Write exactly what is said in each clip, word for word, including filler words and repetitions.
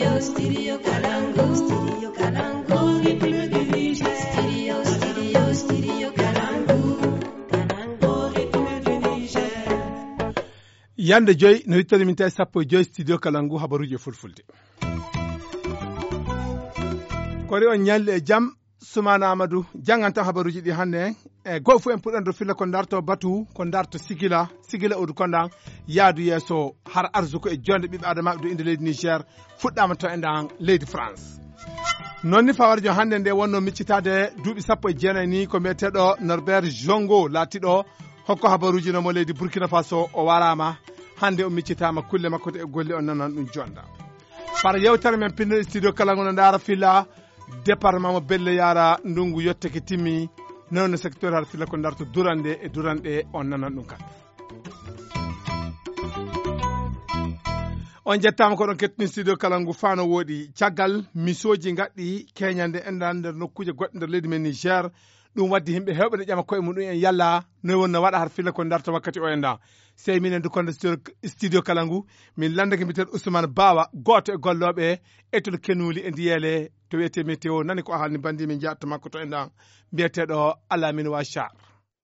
Studio Kalangu, Studio Kalangu, Studio, Studio, Studio Kalangu, Kalangu, Yande joy no wittani min tawi sappo e joy studio Kalangu habaruji e fulfulde. Kori on ñalli e jam. Sumana Amadou jannganto habaruji ɗi hannde. E goo fof en puɗɗan ɗo filla ko darto batu ko darto sigila sigila odu kondan yaadu yeeso har arsuko e jonde ɓiɓɓe adamaɓe ɗo inde leydi Niger. Fuɗɗama to e ndan leydi France. Noon ni fawarjo hannde nde wonno miccitaade duuɓi sappo e jeenayi ni ko mbiyeteeɗo Norbert Jongo laatiɗo hokko habaruji no mo leydi Burkina Faso o waraama. Hannde o miccitaama kulle makko e golle on nanan ɗum jonda. Fara yewtere men pinnoɗe studio kala ngono ndaara filla département mo belle yaara ndungu yotteke timmi. Noon no secteur har filla ko darto durande e duranɗe on nanan ɗum kan. On jettaama ko ɗon kettini studio kala ngu faano woɗi caggal misooji gaɗɗi keñande enɗan nder nokkuuje goɗɗe nder leydi men Niger. Ɗum waddi yimɓe heewɓe ne ƴama koye muɗum en yalla noy wonno waɗa har filla ko darta wakkati o enɗan. Sey minen du konde studio kala ngu min landake mbiten Ousmane Bawa gooto e gollooɓe étol kenuli e ndiyeele to wiyete météo nani ko a haalni bandi min jaatta makko to enɗan. Mbiyeteɗo Alamine Wachar.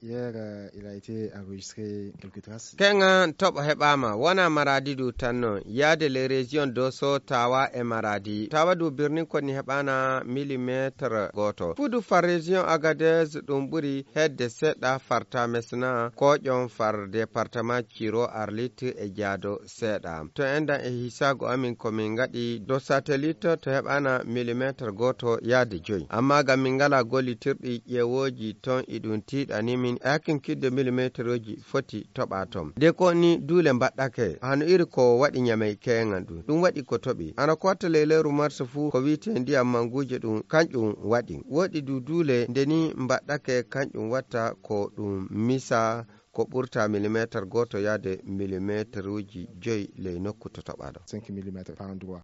Hier, euh, il a été enregistré quelques traces. Keŋa toɓo heɓaama wona Maradi du tan noon yaade les régions Dosso, Tawa e Maradi. Tawa du birnin koni heɓaana millimetre gooto. Fudu far région Agadez ɗum ɓuri hedde seɗɗa far Tamesna, Koƴon far département Ciro, Arlit e Jaado seeɗa. To enɗan e hisaago amin ko min ngaɗi do satellite to heɓaana millimetre gooto yaade joyi. Amma ngam min ngalaa gollitirɗi ƴeewooji ton iɗum tiiɗani min e hakkinkidde millimetreji foti toɓa ton. De ko ni duule mbaɗɗake hano iri ko waɗi Ñamey keeŋan ɗum. Ɗum waɗi ko toɓi. Hano ko watta ley lewru mars fuu ko wi'etee ndiyam manguuje ɗum kanƴum waɗi. Woɗi du duule nde ni mbaɗɗake kanƴum watta ko ɗum misa ko ɓurta millimetre gooto yaade millimetreji joyi ley nokku to toɓaɗo. Cinq millimètres par endroit.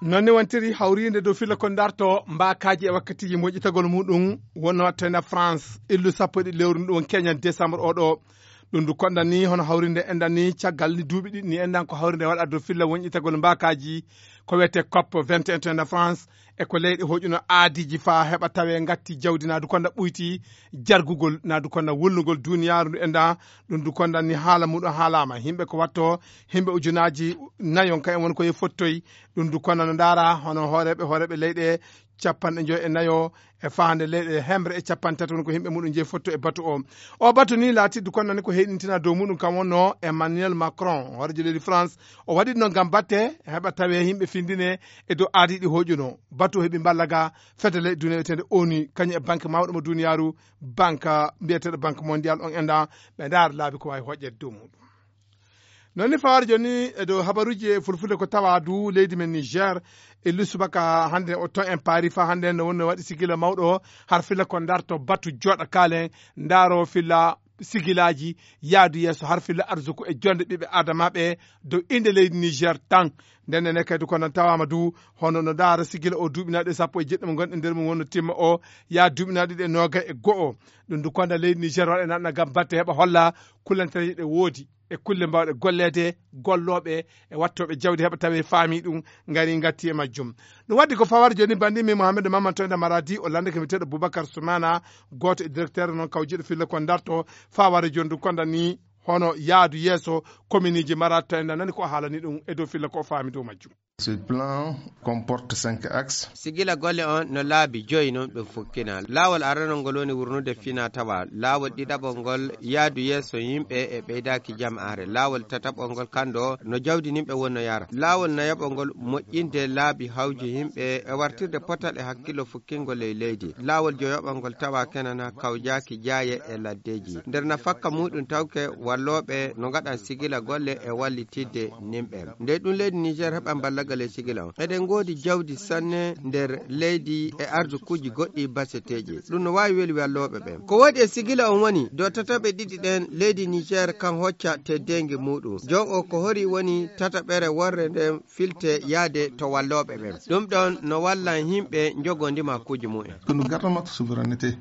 Noon ni wontiri hawriinde dow filla ko darto mbaakaaji e wakkatiiji moƴƴitagol muɗum wonno watta ena France illu sappo e ɗiɗi lewru ndu won keñan décembre oɗo. Ɗum ndu konɗan ni hono hawrinde enɗan ni caggal ni duuɓi ɗiɗi ni enɗan ko hawrinde waɗa dow filla woñƴitagol mbaakaaji ko wiyetee cop vingt et un to ena France. E ko leyɗe hoƴuno aadiiji faa heɓa tawee ngatti jawdi naadu konda ɓuyti jargugol naadu konda wulnugol duuniyaaru ndu enɗan. Ɗum ndu konɗan ni haala muɗum haalaama yimɓe ko watto yimɓe ujunaaji nayon kayen woni ko ye fottoyi. Ɗum ndu konɗan no ndaara hono hooreeɓe hooreeɓe leyɗe capanɗe joyi e nayo e faande leyɗe hemre e capanɗe tati woni ko yimɓe muɗum jeyi fotto e batu o. O batu ni laatiddu konɗan ni ko heyɗintina dow muɗum kam wonno Emmanuel Macron hooreejo leydi France. O waɗi noon ngam batte heɓa tawee yimɓe findine e dow aadiiɗi hoƴuno batu heɓi mballa ga fedde leyɗe duniya wiyetende onu kañum e banque mawɗo mo duniyaaru banque mbiyeteeɗo banque mondial on enɗan ɓe ndaara laabi ko waawi hoƴƴeede dow muɗum. Noon ni fawaade jooni e dow habaruuji e fulfulde ko tawa du leydi men Niger e lusubaka hannde o ton en paari fa hannde no wonno waɗi sigila mawɗo har filla ko darto batu jooɗa kaalen ndaaro filla sigilaaji yaadu yeeso har filla arsuku e jonde ɓiɓɓe adamaaɓe dow innde leydi Niger tan. Nden nene kadi ko non tawaama du hono no ndaara sigila o duuɓinaaɗo e sappo e jeɗɗi mo ngonɗen nder mum wonno timma o yaa duuɓinaaɗo ɗiɗi e nooga e go'o. Ɗum du konda leydi Niger waɗa naɗna ngam batte heɓa holla kullantereeje ɗe woodi e kulle mbaawɗe golleede gollooɓe e wattooɓe jawdi heɓa tawi faami ɗum ngari ngatti e majjum. Ɗum waddi ko fawar jooni banndi min Mouhamadou Mamadou Toyda Maradi o lanndake mi teɗo Boubacar Soumana gooto e directeur noon kawjiɗo filla ko darto faware jooni ɗum konda ni hono yaadu yeeso kominiji Maradi Toyda nani ko haalani ɗum e dow filla ko faami dow majjum. Ce plan comporte cinq axes. Sigila golle on no laabi joyi non ɗum fukkina. Laawol aranol ngol woni wurnude fina tawa. Laawol ɗiɗaɓol ngol yaadu yeeso yimɓe e ɓeydaaki jam'aare. Laawol tataɓol ngol kando no jawdi nimɓe wonno yara. Laawol nayaɓol ngol moƴƴinde laabi hawji yimɓe e wartirde potal e hakkillo fukkingol ley leydi. Laawol joyoɓol ngol tawa kenana kawjaaki jaaye e laddeji. Nder nafakka muɗum tawke wallooɓe no ngaɗan sigila golle e wallitidde nimɓe. Nde ɗum leydi Niger heɓan ballagal e sigila on. Eɗen ngoodi jawdi sanne nder leydi e arsukuuji goɗɗi baseteeji. Ɗum no waawi weli wallooɓe ɓen. Ko waɗi e sigila on woni, dow tataɓe ɗiɗi ɗen leydi Niger kan hocca teddeengi muɗum. Jon o ko hori woni tataɓere worre nden filte yaade to wallooɓe ɓen. Ɗum ɗon no wallan yimɓe njogo ndimakuuji mu'en. Ko no garta notre souveraineté.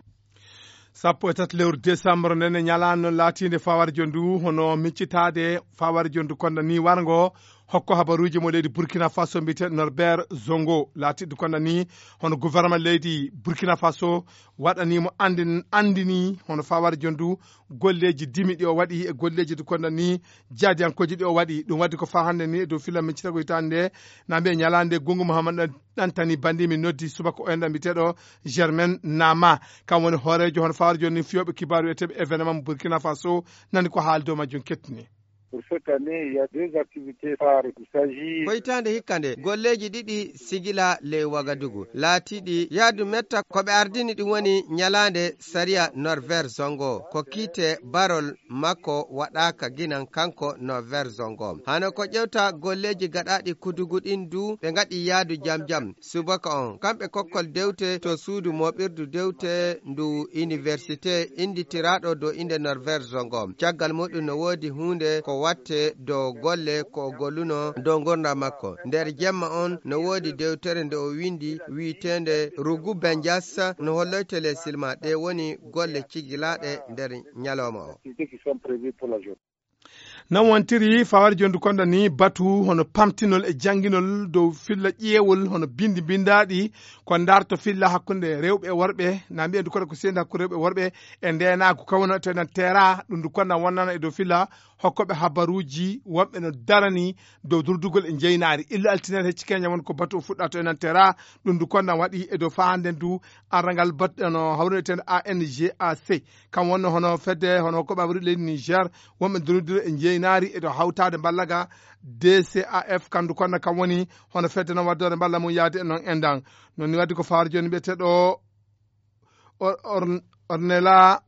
Sappo e tati lewru décembre nden e ñalaande non laatiinde fawarjo ndu hono miccitaade fawarjo ndu konda ni warngo Hokko habaruuji mo leydi Burkina Faso mbiyeteeɗo Norbert Zongo laatiiɗo konda ni hono gouvernement leydi Burkina Faso waɗanii mo anndin-, anndini hono fawar jondu golleeji dimi ɗi o waɗi e golleeji ɗi konda ni jaadiyankooji ɗi o waɗi. Ɗum waɗi ko faa hannde ni e dow filla min citago hitaande nde na mbiye ñalaande Gungu Muhammad Ɗantani banndi min noddi subaka o enɗan mbiyeteeɗo Germain Nama. Kam woni hooreejo hono fawar joni fiyooɓe kibaaru wiyeteeɓe événement Burkina Faso nani ko haali dow majjum kettini. Pour cette année, il y a deux activités phares. Il s'agit Ko hitaande hikka nde, golleeji ɗiɗi sigila ley Wagadugu, laatiiɗi yaadu metta ko ɓe ardini ɗum woni ñalaande sariya Norbert Zongo, ko kiite barol makko waɗaaka ginan kanko Norbert Zongo. Hano ko ƴewta golleeji gaɗaaɗi kudugu ɗin du ɓe ngaɗi yaadu jam jam. Subaka on, kamɓe kokkol dewte to suudu mooɓirdu dewte ndu université innditiraaɗo dow innde Norbert Zongo. Caggal muɗum no woodi huunde ko watte dow golle ko o golluno dow ngurndan makko. Nder jemma on no woodi dewtere nde o winndi wi'eteende Rugu Benjas no holloyte les silma. Ɗe woni golle cigilaaɗe nder ñalawma o. Non wontiri fawar jondu konda ni batu hono pamtinol e jannginol dow filla ƴeewol hono binndi binndaaɗi ko ndarto filla hakkunde rewɓe e worɓe, na mbiyen du kono ko seedi hakkunde rewɓe e worɓe e ndeenaagu kawno to enen teera ɗum du konda wonnana e dow filla hokkooɓe habaruuji wonɓe no darani dow durdugol e njeynaari. Illa altine hecci keña won ko batu o fuɗɗa to enen teera ɗum du konda waɗi e dow faanden du arrangal bat-, no hawreten A N G A C. Kam wonno hono fedde, hono ko ɓawri leydi Niger, wonɓe ndonndira e njeynaari e to hawtaade mballa ga D C A F, kandu konna kam woni hono fedde noon waddore mballa mum yaade e noon endan. Noon ni wadde ko fawaar jooni mbiyeteeɗo Or-, Or-, Ornella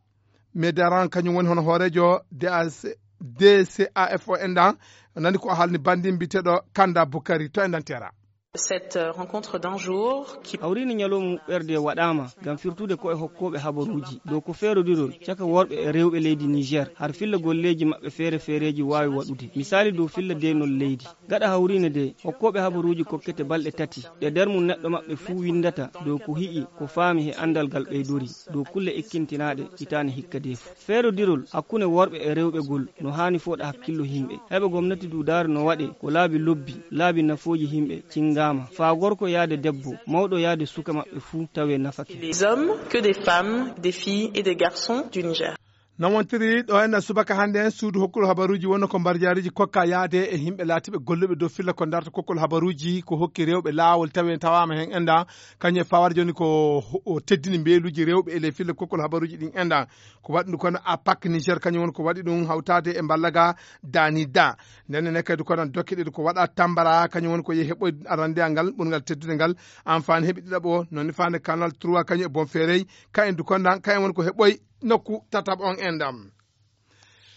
Medaran, kañum woni hono hooreejo D A C, D C A F o endan. Nani ko haalni banndi mbiyeteeɗo Kanda Bukari to endan tera. Cette, euh, rencontre d'un jour qui Hawriinde ñalawma muɓɓerde waɗaama ngam firtude koye hokkooɓe habaruuji dow ko feerodirol caka worɓe e rewɓe leydi Niger, har filla golleeji maɓɓe feere feereeji waawi waɗude. Misaali dow filla deenol leydi. Gaɗa hawriinde nde, hokkooɓe habaruuji kokkete balɗe tati, ɗe nder mum neɗɗo maɓɓe fuu winndata dow ko hi'i, ko faami he anndal ngal ɓeydori, dow kulle ikkintinaaɗe hitaande hikka nde fuu. Feerodirol hakkunde worɓe e rewɓe ngol no haani fooɗa hakkillo yimɓe. Heɓa gomnati duudaare no waɗe ko laabi lobbi, laabi nafooji yimɓe cinngaama, faa gorko yaade debbo, mawɗo yaade suka maɓɓe fuu tawee nafake. Des hommes que des femmes, des filles et des garçons du Niger. No wontiri ɗo en subaka hannde en suudu hokkol habaruuji wonno ko mbarjaariji kokka yaade e yimɓe laatiiɓe golluɓe dow filla ko ndarta kokkol habaruuji ko hokki rewɓe laawol tawi en tawaama heen enda kañum e fawaade jooni ko o teddini mbeeluuji rewɓe e ley filla kokkol habaruuji ɗin enda. Ko waɗi ɗum kono A P A C Niger kañum woni ko waɗi ɗum hawtaade e mballaga Dani Da. Nden ne kadi kono dokke ɗiɗi ko waɗa Tambara kañum woni ko yehi heɓɓoy arandeyal ngal ɓurngal teddude ngal. An faan heɓi ɗiɗaɓo, noon ni faande Canal trois kañum e Bonferey, kayen du kondan, kayen woni ko heɓɓoy nokku tataɓo on endam.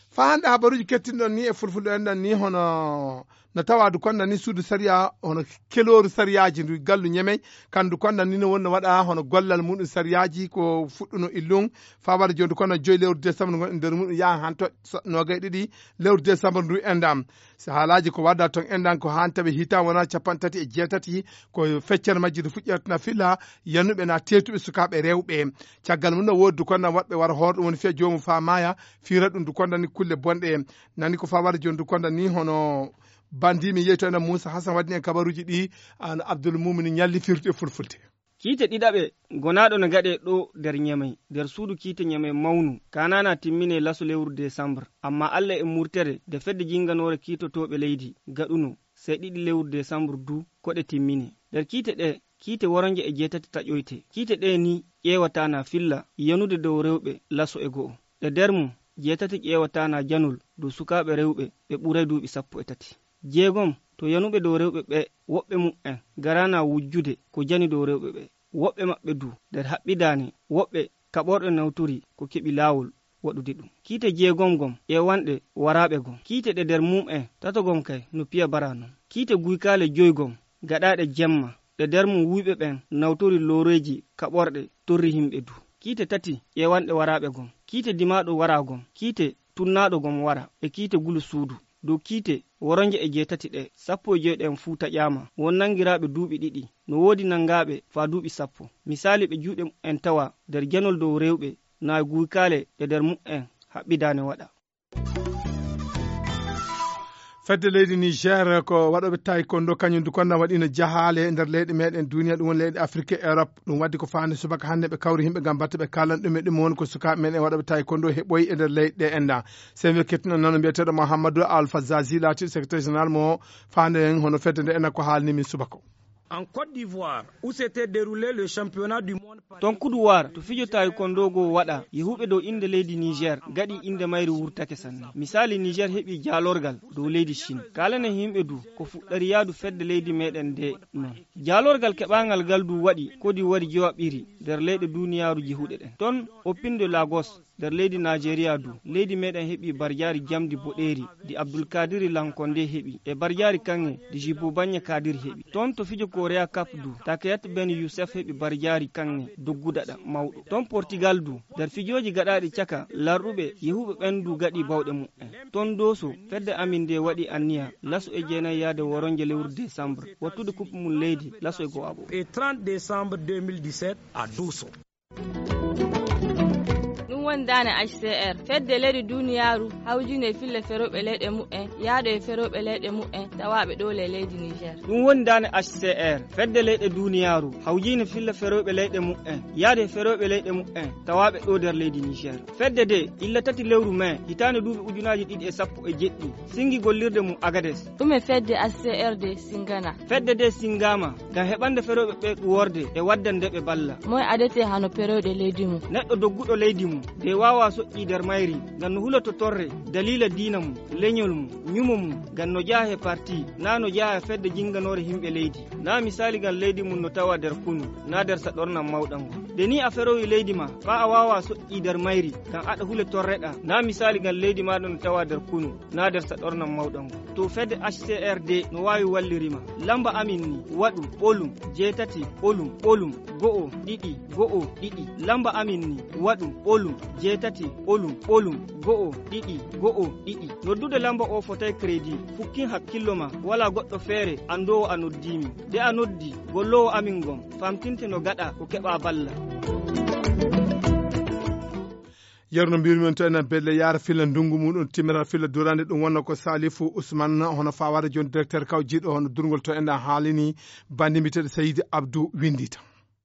Faa hannde habaruuji kettinɗon ni e fulfulde enɗan ni hono no tawaadu konda ni suudu sariya hono kelooru sariyaaji ndu gallu Ñemey, kandu konda ni no wonno waɗa hono gollal muɗum sariyaaji ko fuɗɗuno illun faa wara jooni kono joyi lewru décembre ngon e nder muɗum yaha han to so-, noogay ɗiɗi lewru décembre ndu enɗam. So haalaaji ko wadda ton enɗan ko han tawi hitan wona capanɗe tati e jeetati ko feccere majji ndu fuɗƴata na fila yanuɓe na teetuɓe sukaaɓe rewɓe. Caggal mum no woodi du konda waɗɓe wara hoor ɗum woni fiya joomum faa maaya fiira ɗum du konda ni kulle bonɗe. Nani ko faa wara jooni du konda ni hono banndi mi yeyto ena Muusa Hasan waɗi en kabaruuji ɗi, an Abdul Mumin ñalli firti e fulfulde. Kiite ɗiɗaɓe gonaaɗo no gaɗee ɗo nder Ñamey, nder suudu kiite Ñamey mawnu, kaanana timminee laso lewru desambar. Ammaa Alla e murtere nde fedde jinnganoore kiitotooɓe leydi gaɗuno, sey ɗiɗi lewru desambar du ko ɗe timminee. Nder kiite ɗe, kiite woronje e jeetati taƴoyte. Kiite ɗe ni ƴeewata na filla yanude dow rewɓe laso e go'o. Ɗe nder mum, jeetati ƴeewata na janol dow sukaaɓe rewɓe ɓe ɓuray duuɓi sappo e tati. Jeegom to yanuɓe dow rewɓe ɓe, woɓɓe muɓɓen garana wujjude ko jani dow rewɓe ɓe. Woɓɓe maɓɓe du nder haɓɓidaane, woɓɓe kaɓorɗe nawtori ko keɓi laawol waɗude ɗum. Kiite jeegom gom ƴeewanɗe waraaɓe gom. Kiite ɗe nder mum'en tato gom kay no piya bara non. Kiite guykaale joy gom gaɗaaɗe jemma, ɗe nder mum wuyɓe ɓen nawtori looreeji kaɓorɗe torri himɓe du. Kiite tati ƴeewanɗe waraaɓe gom. Kiite dimaaɗo waraa gom. Kiite tunnaaɗo gom wara. E kiite gulu suudu. Dow kiite woronje e jeetati ɗe, sappo e joy ɗen fuu taƴaama. Won nangiraaɓe duuɓi ɗiɗi. No woodi nangaaɓe faa duuɓi sappo. Misaali ɓe juuɗe muɓɓen tawa nder janol dow rewɓe, naa guykaale ɗe nder muɓɓen haɓɓidaane waɗa. Fedde leydi Niger ko waɗooɓe taekwondo, kañum du konda waɗino jahaale e nder leyɗe meɗen duniya, ɗum woni leyɗe Afrique e Europe. Ɗum waddi ko faani subaka hannde ɓe kawri yimɓe ngam batte ɓe kaalan ɗum e ɗum woni ko sukaaɓe men e waɗooɓe taekwondo heɓoyi e nder leyɗe ɗe enna. Sen we kettuno nano mbiyeteeɗo Mouhamadou Alpha Zazi laati secrétaire général mo faande en hono fedde nde enna ko haalni min subaka o. En Côte d'Ivoire, où s'était déroulé le championnat du monde. Ton kuduwaar to fijo taekwondo go waɗa, yehuɓe dow innde leydi Niger gaɗi innde mayri wurtake sanne. Misali, Niger heɓi jaalorgal dow leydi Chine. Kaalane yimɓe du ko fuɗɗari yaadu fedde leydi meɗen nde non. Jaalorgal keɓangal gal du waɗi kodi wari jowaɓiri nder leyɗe duniyaaru jehuɗe ɗen. Ton Opin de Lagos nder leydi Nigeria du, leydi meɗen heɓi barjaari jamdi boɗeeri ndi Abdul Kadiri Lankonde heɓi, e barjaari kaŋŋe ndi Jibo Banye Kadiri heɓi. Ton to fijo Korea Cup du, Takayat Ben Youssef heɓi barjaari kaŋŋe doggudaɗa mawɗo. Ton Portugal du, nder fijooji gaɗaaɗi caka larɗuɓe, yehuɓe ɓen du gaɗi bawɗe muɓɓen. Ton Doso, fedde amin nde waɗi anniya laso e jeenayi yaade woronje lewru décembre, wattude coupe mum leydi laso e go'aɓo. Et trente décembre deux mille dix-sept à Doso. Ɗum woni daane H C R, fedde leyɗe duniyaaru hawjinde e fille ferooɓe leyɗe mu'en, yahde e ferooɓe leyɗe mu'en tawaaɓe ɗo le leydi Niger. Ɗum woni daane H C R, fedde leyɗe duniyaaru hawjinde fille ferooɓe leyɗe mu'en, yahde e ferooɓe leyɗe mu'en tawaaɓe ɗo nder leydi Niger. Fedde de, illa tati lewru mai, hitaande duuɓi ujunaaji ɗiɗi e sappo e jeɗɗi, singi gollirde mum Agades. Ɗume fedde H C R de singana? Fedde de singama ngam heɓande ferooɓe ɓe ɗuworde e waddande ɓe balla. Moy adete hano ferooɓe leydi mum? Neɗɗo dogguɗo leydi mum, de waawa soƴƴi nder mayri, ngam no huloto torre, daliila diina mum, leñol mum, ñumo mum, ngam no jeyaa he parti, na no jeyaa he fedde jinganoore yimɓe leydi. Na misali ngam leydi mum no tawa nder kunu, na nder saɗornam mawɗam ngon. De ni a ferowi leydi ma, faa a waawa soƴƴi nder mayri, ngam aɗa hule torreɗa, na misali ngam leydi maaɗa no tawa nder kunu, na nder saɗornam mawɗam ngon. To fedde H C R D no waawi walliri ma. Lamba amin ni, waɗu, ɓolum, jeetati, ɓolum, ɓolum, go'o, ɗiɗi, go'o, ɗiɗi. Lamba amin ni, waɗu, ɓolum, jeetati, ɓolum, ɓolum, go'o, ɗiɗi, go'o, ɗiɗi. Noddude lamba o fotay credit. Fukkin hakkillo ma, wala goɗɗo feere anndoowo a noddii min. De a noddi, golloowo amin ngon, famtinte no gaɗa ko keɓa balla. Yeru no mbirmi on to enen belle yaara filla ndungu muɗum timmiral filla durande ɗum wonno ko Salifu Ousmane hono fawade joni directeur kawjiɗo hono durgol to enen haalini bandi mbiteɗo Seydi Abdou Windita.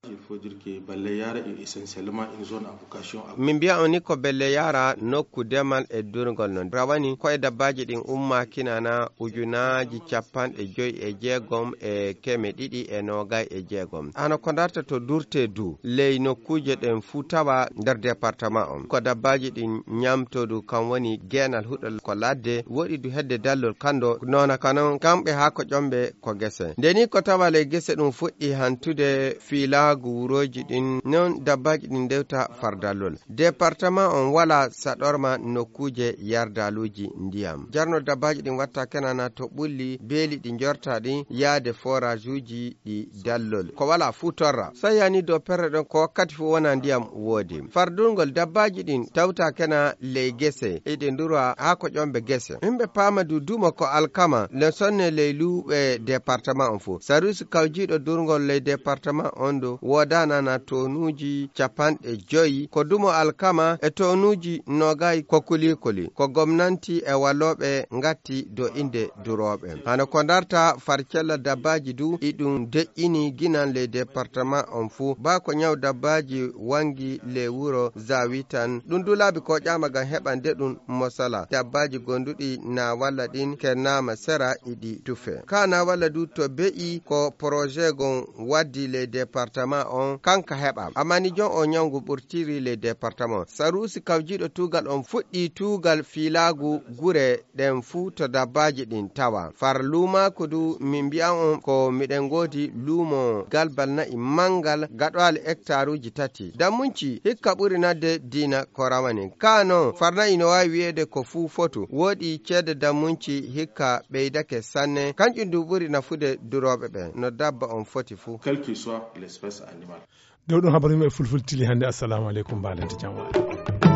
Il faut dire que Balle Yara est essentiellement une zone à vocation à. Min mbiya on ni ko Belle Yara nokku demal e durgol non. Rawani ko e dabbaji ɗin umma kinana ujunaaji capanɗe joyi e jeegom e keme ɗiɗi e noogay e jeegom. Hano ko darta to durte du ley nokkuje ɗen fuu tawa nder département on. Ko dabbaji ɗin ñamtodu kan woni geenal huɗo ko ladde, woɗi du hedde dallol kando, nona kanon kamɓe haa ko ƴomɓe ko gese. Nde ni ko tawa ley gese ɗum fuɗɗi hantude fiilaagu wurooji ɗin, non dabbaaji ɗin ndewta fardallol. Département on wala saɗorma nokkuuje yardaluuji ndiyam. Jarno dabbaaji ɗin watta kenana to ɓulli beeli ɗi njorta ɗin yaade forage uji ɗi dallol. Ko wala fuu torra. So yani dow perre ɗon ko wakkati fuu wona ndiyam woodi. Fardurgol dabbaaji ɗin tawta kena ley gese, eɗe ndura haa ko ƴomɓe gese. Yimɓe paama du dumo ko alkama, le sonne ley luuɓe département on fof. Sarusi kawjiiɗo durgol ley département on du woodanana tonuuji capanɗe joyi. Ko dumo alkama e tonuuji noogay ko kulikuli. Ko gomnanti e wallooɓe ngatti do inde durooɓe. Hano ko darta farcella dabbaaji du, iɗum deƴƴini ginan ley département on fof. Ba ko ñaw dabbaaji wangi ley wuro Zawitan. Ɗum du laabi ko ƴama ngam heɓande ɗum mosala. Dabbaaji gonduɗi na walla ɗin kennama sera iɗi tufe. Ka na walla du to be'i ko projet gon waddi ley département on kanka heɓa. Amma ni jon o ñaw ngu ɓurtiri ley département. Sarusi kawjiiɗo tuugal on fuɗɗi tuugal fiilaagu gure ɗen fuu to dabbaaji ɗin tawa. Far luumaaku du min mbi'an on ko miɗen ngoodi luumo galbal na'i mangal gaɗoali hektaruuji tati. Dammunci hikka ɓuri nadde diina ko rawani. Ka non, far na'i no waawi wi'eede ko fuu fotu. Wooɗi ceede dammunci hikka ɓeydake sanne. Kanƴum du ɓuri nafude durooɓe ɓen. No dabba on foti fuu. Quelle que soit l'espèce animale. Dow ɗum habaru yimɓe fulfulde tili hannde. Assalamu aleykum, mbaalente jam waala.